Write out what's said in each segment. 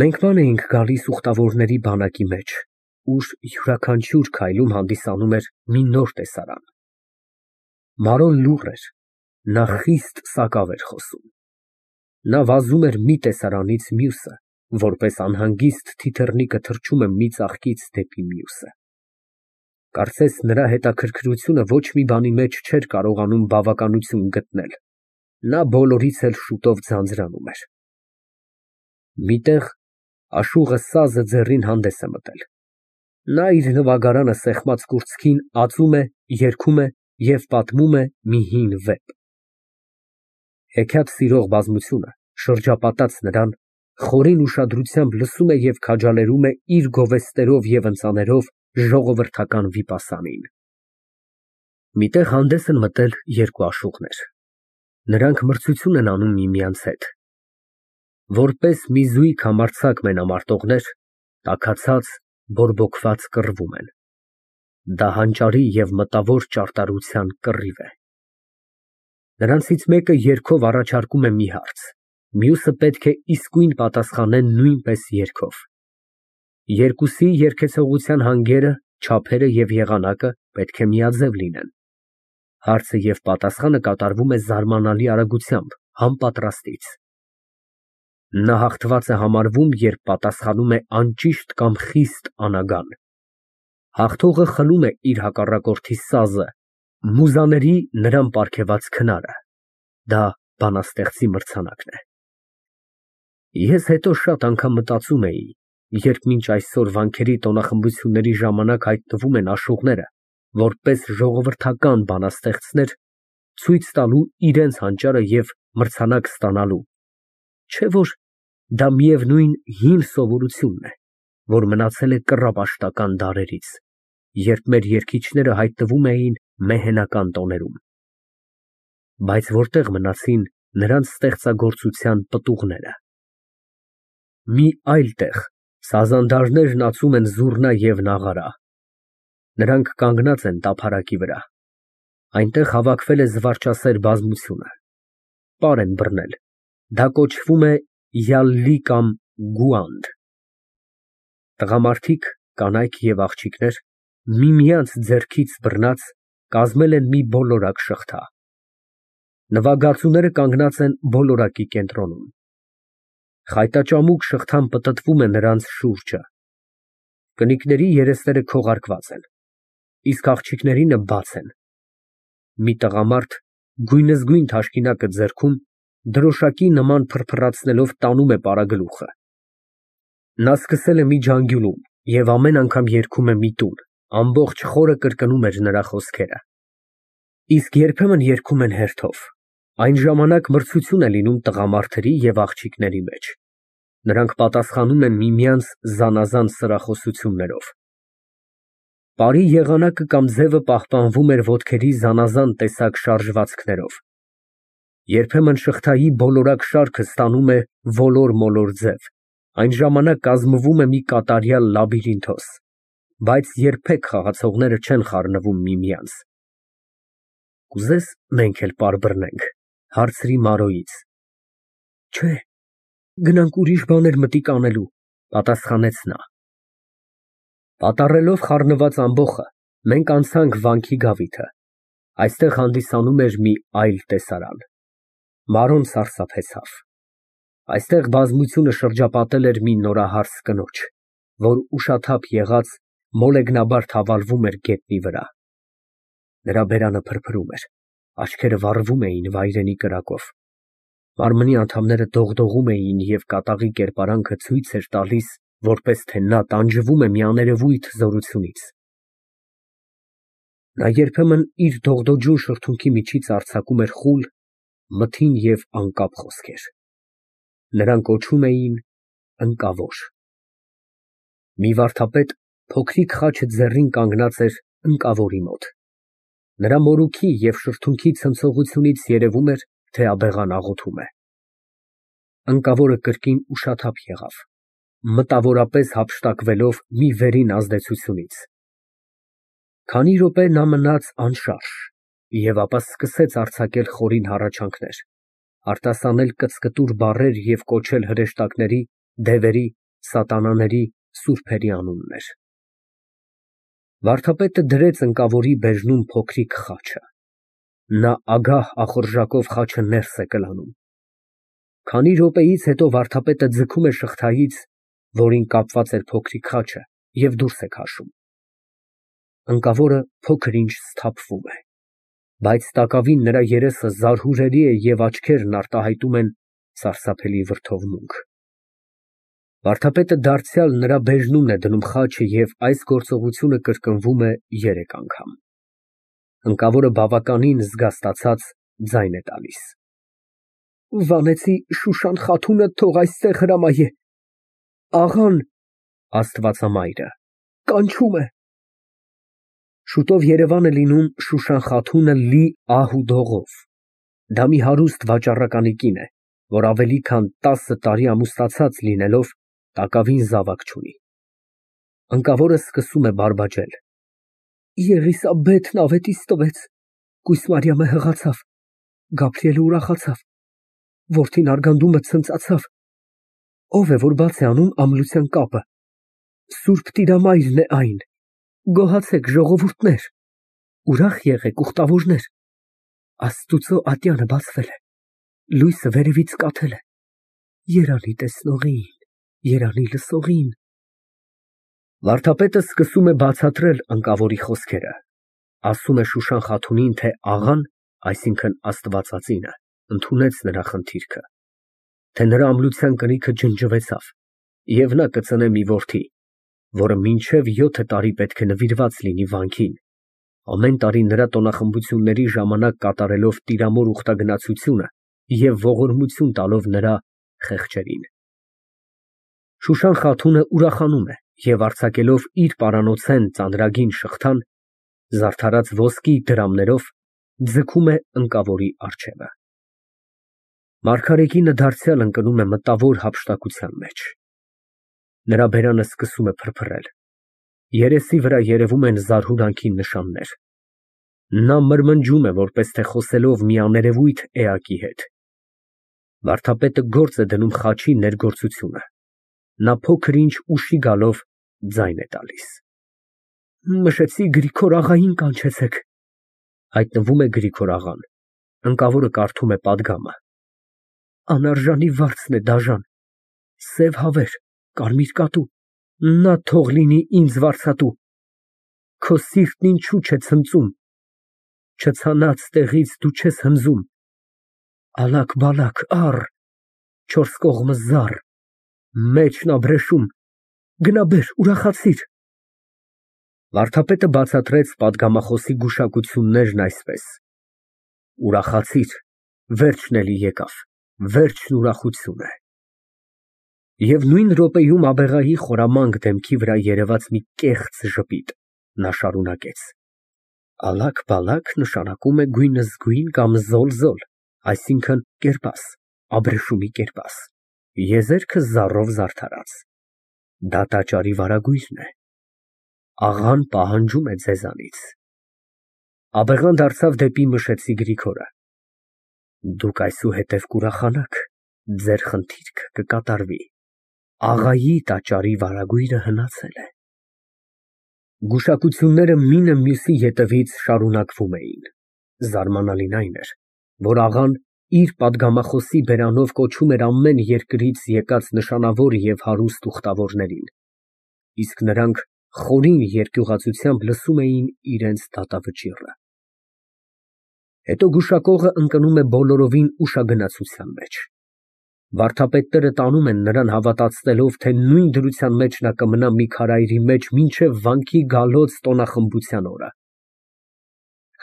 Մենք ման էինք գալիս ուխտավորների բանակի մեջ, ուր յուրաքանչյուր քայլում հանդիսանում էր մի նոր տեսարան։ Մարոն լուռ էր, նա խիստ սակավ էր խոսում։ Նա վազում էր մի տեսարանից մյուսը, որպես անհանգիստ թիթեռնիկը թռչում է մի ծաղկից դեպի մյուսը։ Կարծես նրա հետաքրքրությունը ոչ մի բանի մեջ չէր կարողանում բավականություն գտնել, նա բոլորից էլ շուտով ձանձրանում էր։ Մի տեղ աշուղը սազը ձեռին հանդես է մտել։ Նա իր նվագարանը սեղմած կուրծքին ածում է, երգում է և պատմում է մի հին վեպ։ Հեքիաթ սիրող բազմությունը շրջապատած նրան, խորին ուշադրությամբ լսում է և քաջալերում է իր գովեստներով և ընծաներով ժողովրդական վիպասանին։ Մի տեղ հանդես են մտել երկու աշուղներ։ Նրանք մրցություն են անում միմյանց հետ։ Որպես մի զույգ համարձակ մենամարտողներ, տաքացած, բորբոքված կռվում են։ Դա հանճարի և մտավոր ճարտարության կռիվ է։ Նրանցից մեկը երգով առաջարկում է մի հարց, մյուսը պետք է իսկույն պատասխանե նույնպես երգով։ Երկուսի երգեցողության հանգերը, չափերը և եղանակը պետք է միաձև լինեն։ Հարցը և պատասխանը կատարվում է զարմանալի արագությամբ, անպատրաստից։ Նա հաղթված է համարվում, երբ պատասխանում է անճիշտ կամ խիստ անագան։ Հաղթողը խլում է իր հակառակորդի սազը, մուզաների նրան պարգևած քնարը։ Դա բանաստեղծի մրցանակն է։ Ես հետո շատ անգամ մտածում էի, երբ մինչ այսօր վանքերի տոնախմբությունների ժամանակ հայտնվում են աշուղները, որպես ժողովրդական բանաստեղծներ, ցույց տալու իրենց հանճարը և մրցանակ ստանալու, չէ՞ որ դա միևնույն հին սովորությունն է, որ մնացել է կռապաշտական դարերից, երբ մեր երգիչները հայտնվում էին մեհենական տոներում։ Բայց որտեղ մնացին նրանց ստեղծագործության պտուղները։ Մի այլ տեղ սազանդարներն ածում են զուռնա և նաղարա։ Նրանք կանգնած են տափարակի վրա։ Այնտեղ հավաքվել է զվարճասեր բազմությունը։ Պար են բռնել, դա կոչվում է յալլի կամ գուանդ։ Տղամարդիկ, կանայք և աղջիկներ, միմյանց ձեռքից բռնած, կազմել են մի բոլորակ շղթա։ Նվագածուները կանգնած են բոլորակի կենտրոնում։ Խայտաճամուկ շղթան պտտվում է նրանց շուրջը։ Կնիկների երեսները քողարկված են, իսկ աղջիկներինը բաց են։ Մի տղամարդ, գույնզգույն թաշկինակը ձեռքում, դրոշակի նման փռփռացնելով տանում է պարագլուխը։ Նա սկսել է մի ջանգյուլում և ամեն անգամ երգում է մի տուն, ամբողջ խորը կրկնում էր նրա խոսքերը։ Իսկ երբեմն երգում են հերթով, այն ժամանակ մրցություն է լինում տղամարդերի և աղջիկների մեջ։ Նրանք պատասխանում են միմյանց զանազան սրախոսություններով։ Պարի եղանակը կամ ձևը պահպանվում էր ոտքերի զանազան տեսակ շարժվածքներով։ Երբեմն շղթայի բոլորակ շարքը ստանում է ոլոր֊մոլոր ձև, այն ժամանակ կազմվում է մի կատարյալ լաբիրինթոս, բայց երբեք խաղացողները չեն խառնվում միմյանց։ Կուզե՞ս մենք էլ պար բռնենք, հարցրի Մարոյից։ Չէ, գնանք ուրիշ բաներ մտիկ անելու, պատասխանեց նա։ Պատառելով խառնված ամբոխը, մենք անցանք վանքի գավիթը։ Այստեղ հանդիսանում էր մի այլ տեսարան։ Մարոն սարսափեցավ։ Այստեղ բազմությունը շրջապատել էր մի նորահարս կնոջ, որ ուշաթափ եղած, մոլեգնաբար թավալվում էր գետնի վրա։ Նրա բերանը փրփրում էր, աչքերը վառվում էին վայրենի կրակով։ Մարմնի անդամները դողդողում էին և կատաղի կերպարանքը ցույց էր տալիս, որպես թե նա տանջվում է մի աներևույթ զորությունից։ Նա երբեմն իր դողդոջուն շրթունքի միջից արձակում էր խուլ, մթին և անկապ խոսքեր։ Նրան կոչում էին ընկավոր։ Մի վարդապետ փոքրիկ խաչը ձեռին կանգնած էր ընկավորի մոտ։ Նրա մորուքի և շրթունքի ցնցողությունից երևում էր, թե աբեղան աղոթում է։ Ընկավորը կրկին ուշաթափ եղավ, մտավորապես հափշտակվելով մի վերին ազդեցությունից։ Քանի րոպե նա մնաց անշարժ և ապա սկսեց արձակել խորին հառաչանքներ, արտասանել կծկտուր բառեր և կոչել հրեշտակների, դևերի սատանաների, սուրբերի անուններ։ Վարդապետը դրեց ընկավորի բերնում փոքրիկ խաչը։ Նա ագահ ախորժակով խաչը ներս է կլանում։ Քանի րոպեից հետո վարդապետը ձգում է շղթայից, որին կապված էր փոքրիկ խաչը, և դուրս է քաշում։ Ընկավորը փոքր ինչ սթափվում է, բայց տակավին նրա երեսը զարհուրելի է և աչքերն արտահայտում են սարսափելի վրդովմունք։ Վարդապետը դարձյալ նրա բերնումն է դնում խաչը և այս գործողությունը կրկնվում է 3 անգամ։ Ընկավորը բավականին զգաստացած ձայն է տալիս։ Վանեցի Շուշան խաթունը թող այստեղ հրամայե, աղան (Աստվածամայրը) կանչում է։ Շուտով Երևան է լինում Շուշան խաթունը լի ահ ու դողով։ Դա մի հարուստ վաճառականի կին է, որ ավելի քան 10 տարի ամուսնացած լինելով, տակավին զավակ չունի։ Ընկավորը սկսում է բարբաջել. Եղիսաբեթն ավետիս տվեց, կույս Մարիամը հղացավ, Գաբրիելը ուրախացավ, որդին արգանդումը ցնծացավ, ով է, որ բաց է անում ամլության կապը, Սուրբ Տիրամայրն է այն, գոհացեք ժողովուրդներ, ուրախ եղեք ուխտավորներ, Աստուծո ատյանը բացվել է, լույսը վերևից կաթել է, երանի տեսնողին, երանի լսողին։ Վարդապետը սկսում է բացատրել ընկավորի խոսքերը, ասում է Շուշան խաթունին, թե աղան, այսինքն Աստվածածինը, ընդունեց նրա խնդիրքը, թե նրա ամլության կնիքը ջնջվեցավ, և նա կծնե մի որդի, որը մինչև 7 տարի պետք է նվիրված լինի վանքին, ամեն տարի նրա տոնախմբությունների ժամանակ կատարելով տիրամոր ուխտագնացությունը և ողորմություն տալով նրա խեղճերին։ Շուշան խաթունը ուրախանում է և արձակելով իր պարանոցեն ծանրագին շղթան, զարդարած ոսկի դրամներով, ձգում է ընկավորի առջևը։ Մարգարեկինը դարձյալ ընկնում է մտավոր հափշտակության մեջ։ Նրա բերանը սկսում է փրփրել, երեսի վրա երևում են զարհուրանքի նշաններ։ Նա մրմնջում է, որպես թե խոսելով մի աներևույթ էակի հետ։ Վարդապետը գործ է դնում խաչի ներգործությունը։ Նա փոքր ինչ ուշի գալով ձայն է տալիս։ Մշեցի Գրիգոր աղային կանչեցեք։ Հայտնվում է Գրիգոր աղան։ Ընկավորը կարդում է պատգամը։ Անարժանի վարձն է դաժան, սև հավեր, կարմիր կատու, նա թող լինի ինձ վարձատու։ Քո սիրտն ինչու չէ ցնծում, չցանած տեղից դու չես հնձում, ալակ֊բալակ առ, 4 կողմը զառ, մեջն աբրեշում, գնա բեր, ուրախացիր։ Վարդապետը բացատրեց պատգամախոսի գուշակություններն այսպես. Ուրախացիր, վերջն էլի եկավ, վերջն ուրախություն է։ Եվ նույն րոպեում աբեղայի խորամանկ դեմքի վրա երևաց մի կեղծ ժպիտ, նա շարունակեց. Ալակ֊բալակ նշանակում է գույնզգույն կամ զոլ, այսինքն կերպաս, աբրեշումի կերպաս, եզերքը զառով զարդարած, դա տաճարի վարագույրն է, աղան պահանջում է ձեզանից։ Աբեղան դարձավ դեպի Մշեցի Գրիգորը. Դուք այսուհետև կուրախանաք, ձեր խնդիրքը կկատարվի, աղայի տաճարի վարագույրը հնացել է։ Գուշակությունները մինը մյուսի ետևից շարունակվում էին։ Զարմանալին այն էր, որ աղան իր պատգամախոսի բերանով կոչում էր ամեն երկրից եկած նշանավոր և հարուստ ուխտավորներին, իսկ նրանք խորին երկյուղացությամբ լսում էին իրենց դատավճիռը։ Հետո գուշակողը ընկնում է բոլորովին ուշագնացության մեջ։ Վարդապետները տանում են նրան հավատացնելով, թե նույն դրության մեջ նա կմնա մի քարայրի մեջ մինչև վանքի գալոց տոնախմբության օրը։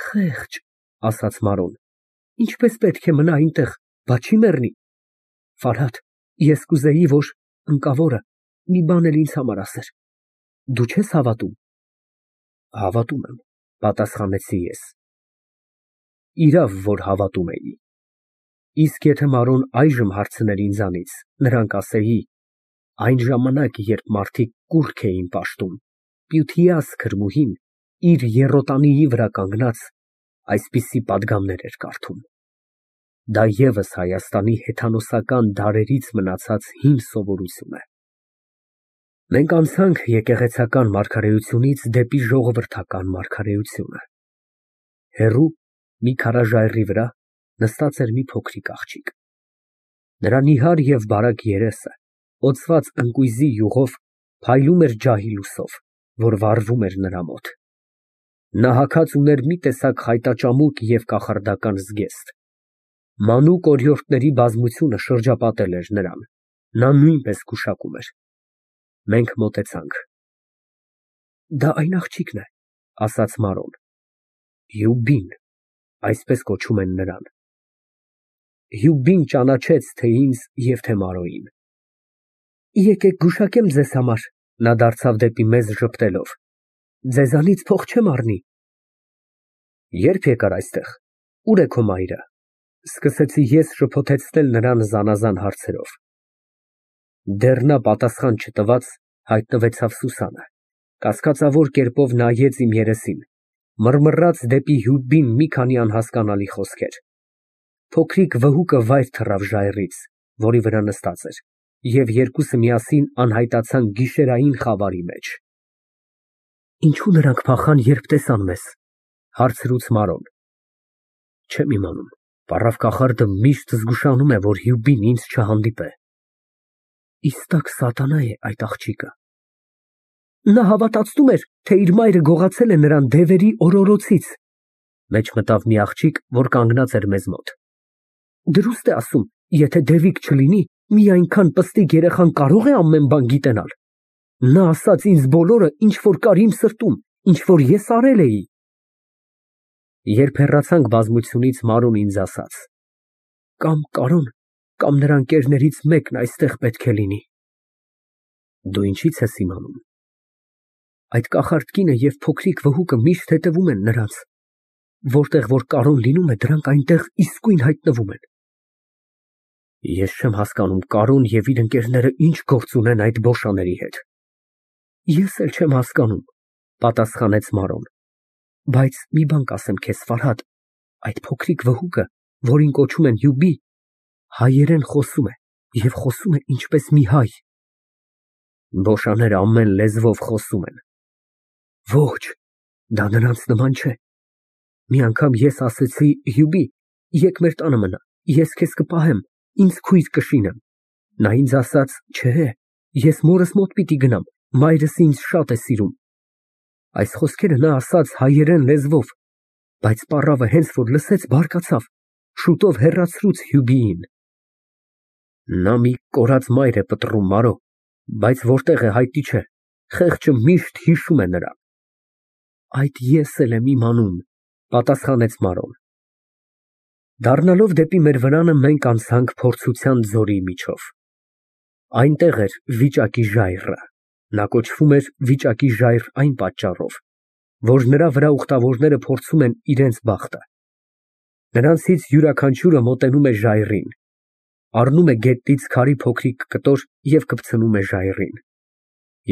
Խեղճ, ասաց Մարոն, ինչպես պետք է մնա այնտեղ, բա չի մեռնի։ Ֆարհադ, ես կուզեի, որ ընկավորը մի բան էլ ինձ համար ասեր։ Դու չես հավատում։ Հավատում եմ, պատասխանեցի ես։ Իրավ, որ հավատում էի։ Իսկ եթե Մարոն այժմ հարցներ ինձանից, նրան կասեի. այն ժամանակ, երբ մարդիկ կուռք էին պաշտում, Պյութիաս քրմուհին իր եռոտանիի վրա կանգնած այսպիսի պատգամներ էր կարդում։ Դա ևս Հայաստանի հեթանոսական դարերից մնացած հին սովորություն է։ Մենք անցանք եկեղեցական մարգարեությունից դեպի ժողովրդական մարգարեությունը։ Հեռու մի քարաժայռի վրա նստած էր մի փոքրիկ աղջիկ։ Նրա նիհար և բարակ երեսը, օծված ընկույզի յուղով, փայլում էր ջահի լույսով, որ վառվում էր նրա մոտ։ Նա հագած ուներ մի տեսակ խայտաճամուկ և կախարդական զգեստ։ Մանուկ օրիորդների բազմությունը շրջապատել էր նրան, նա նույնպես գուշակում էր։ Մենք մոտեցանք։ Դա այն աղջիկն է, ասաց Մարոն։ Յուբին, այսպես կոչում են նրան։ Յուբին ճանաչեց թե ինձ և թե Մարոյին։ Եկեք գուշակեմ ձեզ համար, նա դարձավ դեպի մեզ ժպտելով, ձեզանից փող չեմ առնի։ Ե՞րբ եկար այստեղ, ուր է քո մայրը, սկսեցի ես շփոթեցնել նրան զանազան հարցերով։ Դեռ նա պատասխան չտված, հայտնվեցավ Սուսանը, կասկածավոր կերպով նայեց իմ երեսին, մռմռաց դեպի Յուբին մի քանի անհասկանալի խոսքեր։ Փոքրիկ վհուկը վայր թռավ ժայռից, որի վրա նստած էր, և երկուսը միասին անհայտացան գիշերային խավարի մեջ։ Ինչո՞ւ նրանք փախան, երբ տեսան մեզ, հարցրուց Մարոն։ Չեմ իմանում, պառավ կախարդը միշտ զգուշանում է, որ Յուբին ինձ չհանդիպե։ Իստակ սատանա է այդ աղջիկը։ Նա հավատացնում էր, թե իր մայրը գողացել է նրան դևերի օրորոցից, մեջ մտավ մի աղջիկ, որ կանգնած էր մեզ մոտ։ Դրուստ է ասում, եթե դևիկ չլինի, մի այնքան պստիկ երեխան կարող է ամեն բան գիտենալ։ Նա ասաց ինձ բոլորը, ինչ որ կար իմ սրտում, ինչ որ ես արել էի։ Երբ հեռացանք բազմությունից, Մարոն ինձ ասաց. Կամ Կարոն, կամ նրա ընկերներից մեկն այստեղ պետք է լինի։ Դու ինչի՞ց ես իմանում։ Այդ կախարդ կինը և փոքրիկ վհուկը միշտ հետևում են նրանց։ Որտեղ որ Կարոն լինում է, դրանք այնտեղ իսկույն հայտնվում են։ Ես չեմ հասկանում Կարոն և իր ընկերները ինչ գործ ունեն այդ բոշաների հետ։ Ես էլ չեմ հասկանում, պատասխանեց Մարոն։ Բայց մի բան կասեմ քեզ, Ֆարհադ, այդ փոքրիկ վհուկը, որին կոչում են Յուբի, հայերեն խոսում է և խոսում է ինչպես մի հայ։ Բոշաները ամեն լեզվով խոսում են։ Ոչ, դա նրանց նման չէ։ Մի անգամ ես ասեցի Յուբի, եկ մեր տանը մնա, ես քեզ կպահեմ, ինձ քույր կշինեմ։ Նա ինձ ասաց, չէ, ես մորս մոտ պիտի գնամ, մայրս ինձ շատ է սիրում։ Այս խոսքերը նա ասաց հայերեն լեզվով, բայց պառավը հենց որ լսեց, բարկացավ, շուտով հեռացրուց Յուբիին։ Նա մի կորած մայր է պտռում, Մարո, բայց որտեղ է հայտնի չէ, խեղճը միշտ հիշում է նրան։ Այդ ես էլ եմ իմանում, պատասխանեց Մարոն։ Դառնալով դեպի մեր վրանը մենք անցանք փորձության ձորի միջով։ Այնտեղ էր վիճակի ժայռը, նա կոչվում էր վիճակի ժայռ այն պատճառով, որ նրա վրա ուխտավորները փորձում են իրենց բախտը։ Նրանցից յուրաքանչյուրը մոտենում է ժայռին, առնում է գետնից քարի փոքրիկ կտոր և կպցնում է ժայռին։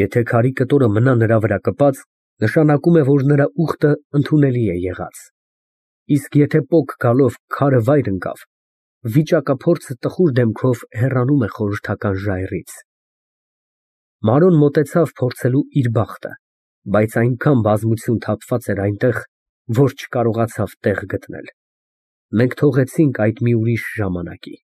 Եթե քարի կտորը մնա նրա վրա կպած, նշանակում է, որ նրա ուխտը ընդունելի է եղած։ Իսկ եթե պոկ գալով քարը վայր ընկավ, վիճակափորձը տխուր դեմքով հեռանում է խորհրդական ժայռից։ Մարոն մոտեցավ փորձելու իր բախտը, բայց այնքան բազմություն թափված էր այնտեղ, որ չկարողացավ տեղ գտնել։ Մենք թողեցինք այդ մի ուրիշ ժամանակի։